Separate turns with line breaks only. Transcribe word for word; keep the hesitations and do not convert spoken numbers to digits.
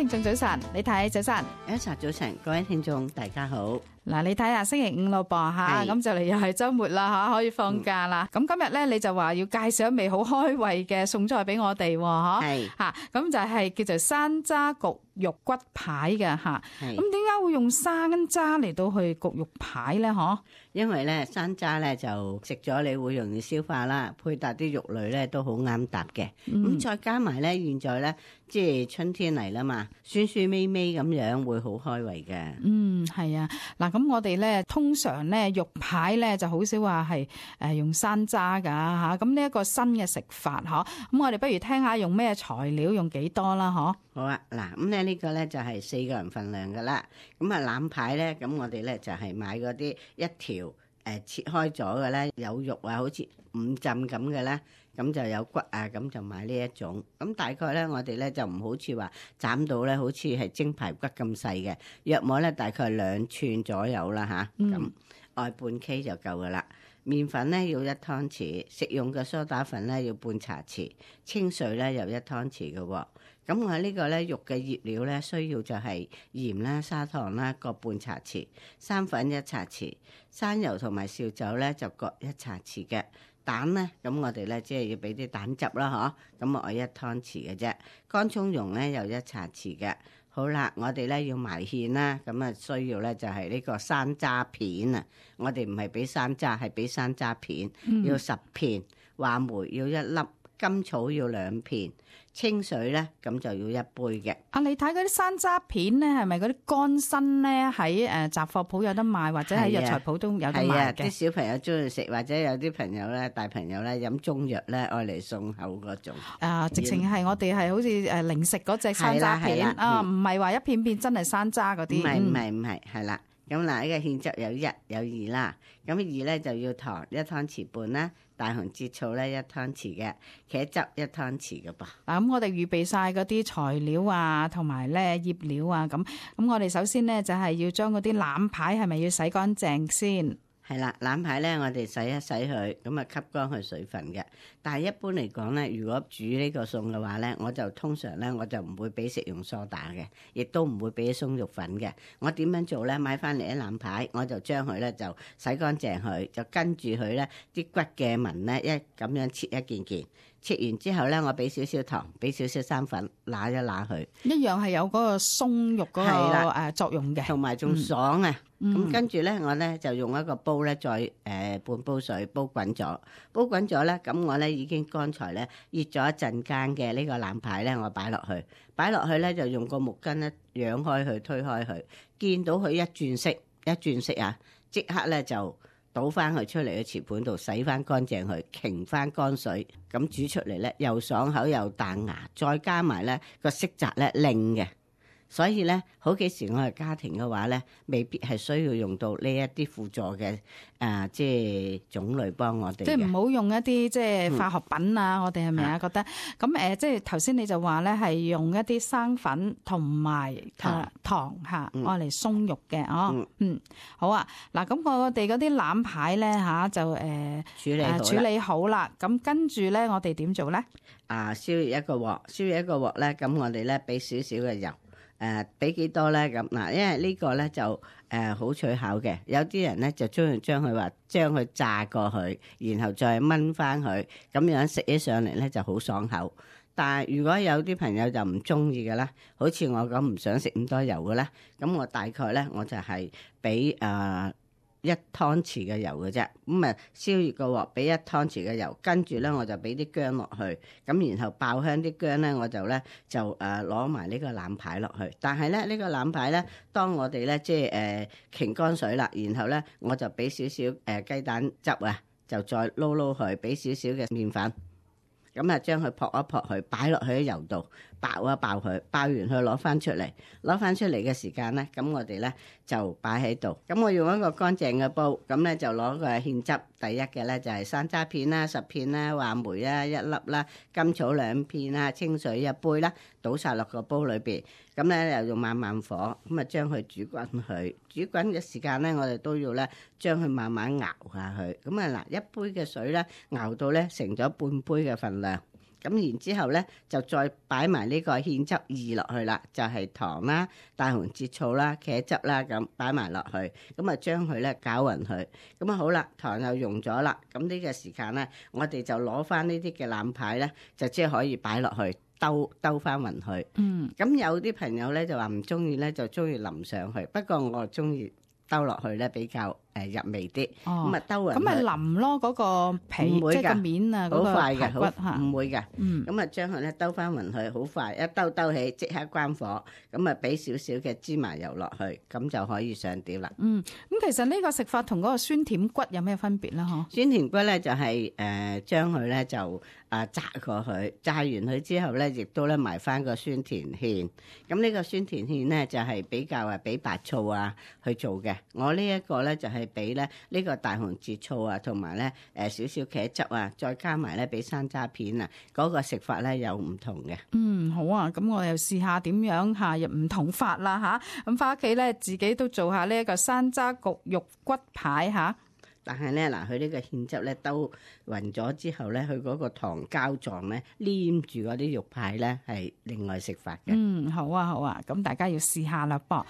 聽眾早晨，你睇早晨。
Elsa 早晨，各位聽眾大家好。
嗱，你睇下星期五咯噃吓，咁就嚟又係週末啦吓，可以放假啦。咁、嗯、今日咧你就話要介紹一味好開胃嘅餸菜俾我哋喎，
係
吓，咁就係叫做山楂焗肉骨排嘅吓。咁點解會用山楂嚟到去焗肉排咧？嗬，
因為咧山楂咧就食咗你會容易消化啦，配搭啲肉類咧都好啱搭嘅。咁、嗯、再加埋咧，現在咧即係春天嚟啦嘛，酸酸味味咁樣會好開胃嘅。
嗯，係啊。嗱，咁我哋咧通常咧肉排咧就好少話係誒用山楂噶吓。咁呢一個新嘅食法嗬，咁我哋不如聽下用咩材料，用幾多啦嗬？
好啊，嗱，咁咧呢個咧就係四個人份量噶啦。咁啊腩排咧，咁我哋咧就係買嗰啲一條誒、呃、切開咗嘅咧，有肉啊，好似五浸咁嘅咧，咁就有骨啊，咁就買呢一種。咁大概咧，我哋咧就唔好似話斬到咧，好似係蒸排骨咁細嘅，約莫咧大概兩寸左右啦吓，咁、嗯、外半 K 就夠噶啦。麵粉咧要一湯匙，食用嘅梳打粉咧要半茶匙，清水咧又一湯匙嘅喎。咁我呢個咧肉嘅醃料咧需要就係鹽啦、砂糖啦各半茶匙，生粉一茶匙，生油同埋紹酒咧就各一茶匙嘅。蛋咧，咁我哋咧即係要俾啲蛋汁啦，嗬，咁我一湯匙嘅啫。乾葱蓉咧又一茶匙嘅。好啦，我哋咧要埋芡啦，咁啊需要咧就係呢個山楂片啊，我哋唔係俾山楂，係俾山楂片，嗯、要十片，話梅要一粒，甘草要兩片，清水咧咁就要一杯嘅。啊，你睇嗰啲山楂片咧，係咪嗰啲乾身咧喺誒雜貨鋪有得賣，或者喺藥材鋪都有得賣嘅？係啊，啲小朋友中意食，或者有啲朋友咧，大朋友咧飲中藥咧，愛嚟送口嗰種。啊，直情係我哋係好似誒零食嗰隻山楂片啊，唔係話一片片真係山楂嗰啲。唔係唔係唔係，係啦。咁嗱，呢個芡汁有一有二啦，咁二咧就要糖一湯匙半啦，大紅浙醋咧一湯匙嘅，茄汁一湯匙嘅噃。嗱，咁我哋預備晒嗰啲材料啊，同埋咧醃料啊，咁咁我哋首先咧就係要將嗰啲腩排係咪要洗乾淨先？係啦，腩排咧我哋洗一洗佢，咁啊吸乾佢水分嘅。但係一般嚟講咧，如果煮呢個餸嘅話咧，我就通常咧我就唔會俾食用梳打嘅，亦都唔會俾鬆肉粉嘅。我點樣做咧？買翻嚟啲腩排，我就將佢咧就洗乾淨佢，就跟住佢咧啲骨嘅紋咧一咁樣切一件件。切完之後咧，我俾少少糖，俾少少生粉，揦一揦佢，一樣係有嗰個鬆肉嗰個誒作用嘅，同埋仲爽啊！咁、嗯、跟住咧，我咧就用一個煲咧，再誒、呃、半煲水煲滾咗，煲滾咗咧，咁我咧已經剛才咧熱咗一陣間嘅呢個腩排咧，我擺落去，擺落去咧就用個木棍咧揚開佢，推開佢，見到佢一轉色，一轉色啊，即刻咧就倒翻佢出嚟嘅瓷盤度，洗翻乾淨佢，擎翻乾水，咁煮出嚟咧又爽口又彈牙，再加埋咧個色澤咧靚嘅。所以咧，好幾時我係家庭嘅話咧，未必係需要用到呢一啲輔助嘅啊，即係種類幫我哋。即係唔好用一啲即係化學品啊！嗯、我哋係咪啊？覺得咁誒、呃，即係頭先你就話咧係用一啲生粉同埋糖糖嚇，愛嚟鬆肉嘅哦。嗯，嗯，好啊。嗱，咁我哋嗰啲腩排咧嚇就誒、呃、處理好處理好啦。咁跟住咧，我哋點做咧？啊，燒熱一個鑊，燒熱一個鑊咧，咁我哋咧俾少少嘅油。誒俾幾多咧咁嗱？因為呢個咧就誒好取巧嘅，有啲人咧就中意將佢話將佢炸過去，然後再燜翻佢，咁樣食起上嚟咧就好爽口。但係如果有啲朋友就唔中意嘅啦，好似我咁唔想食咁多油嘅咧，咁我大概咧我就係俾誒一湯匙嘅油嘅啫，咁啊燒熱個鑊，俾一湯匙嘅油，跟住咧我就俾啲薑落去，咁然後爆香啲薑咧，我就咧就誒攞埋呢個腩排落去。但係咧呢、呢個腩排咧，當我哋咧即係誒擎乾水啦，然後咧我就俾少少誒雞蛋汁啊，就再撈撈佢，俾少少嘅麵粉。咁啊，將佢撲一撲佢，擺落去喺油度爆一爆佢，爆完佢攞翻出嚟，攞翻出嚟嘅時間咧，咁我哋咧就擺喺度。咁我用一個乾淨嘅煲，咁咧就攞個芡汁。第一嘅咧就係山楂片啦，十片啦，話梅啦一粒啦，甘草兩片啦，清水一杯啦，倒晒落個煲裏邊。咁咧又用慢慢火，咁啊將佢煮滾佢。煮滾嘅時間咧，我哋都要咧將佢慢慢熬下去。咁啊嗱，一杯嘅水咧熬到咧成咗半杯嘅份量。咁然之後咧就再擺埋呢個芡汁二落去啦，就係、是、糖啦、大紅浙醋啦、茄汁啦咁擺埋落去，咁啊將佢咧攪勻佢，咁啊好啦，糖又溶咗啦，咁呢個時間咧，我哋就攞翻呢啲嘅腩排咧，就即係可以擺落去兜兜翻勻佢。
嗯，
咁有啲朋友咧就話唔中意咧，就中意淋上去，不過我中意兜落去咧比較誒入味啲。
哦，
咁啊兜勻
咁咪淋咯，嗰個皮
唔會㗎
即係個面啊，嗰個
好快嘅，
排骨
好
嚇。
唔會嘅。
嗯，
咁啊將佢咧兜翻勻佢，好快一兜兜起即刻關火，咁啊俾少少嘅芝麻油落去，咁就可以上碟啦。
嗯，咁其實呢個食法同嗰個酸甜骨有咩分別咧？嗬？
酸甜骨咧就係誒將佢咧就啊炸過佢，炸完佢之後咧，亦都咧埋翻個酸甜芡。咁呢個酸甜芡咧就係比較啊俾白醋啊去做嘅。我呢一個咧就係俾咧呢個大紅浙醋啊，同埋咧誒少少茄汁啊，再加埋咧俾山楂片啊，嗰個食法咧有唔同嘅。
嗯，好啊，咁我又試下點樣下入唔同法啦吓，咁翻屋企咧自己都做下呢一個山楂焗肉骨排吓。
但係咧嗱，佢呢個芡汁咧兜勻咗之後咧，佢嗰個糖膠狀咧黏住嗰啲肉排咧係另外食法嘅。
嗯，好啊好啊，咁大家要試下啦噃。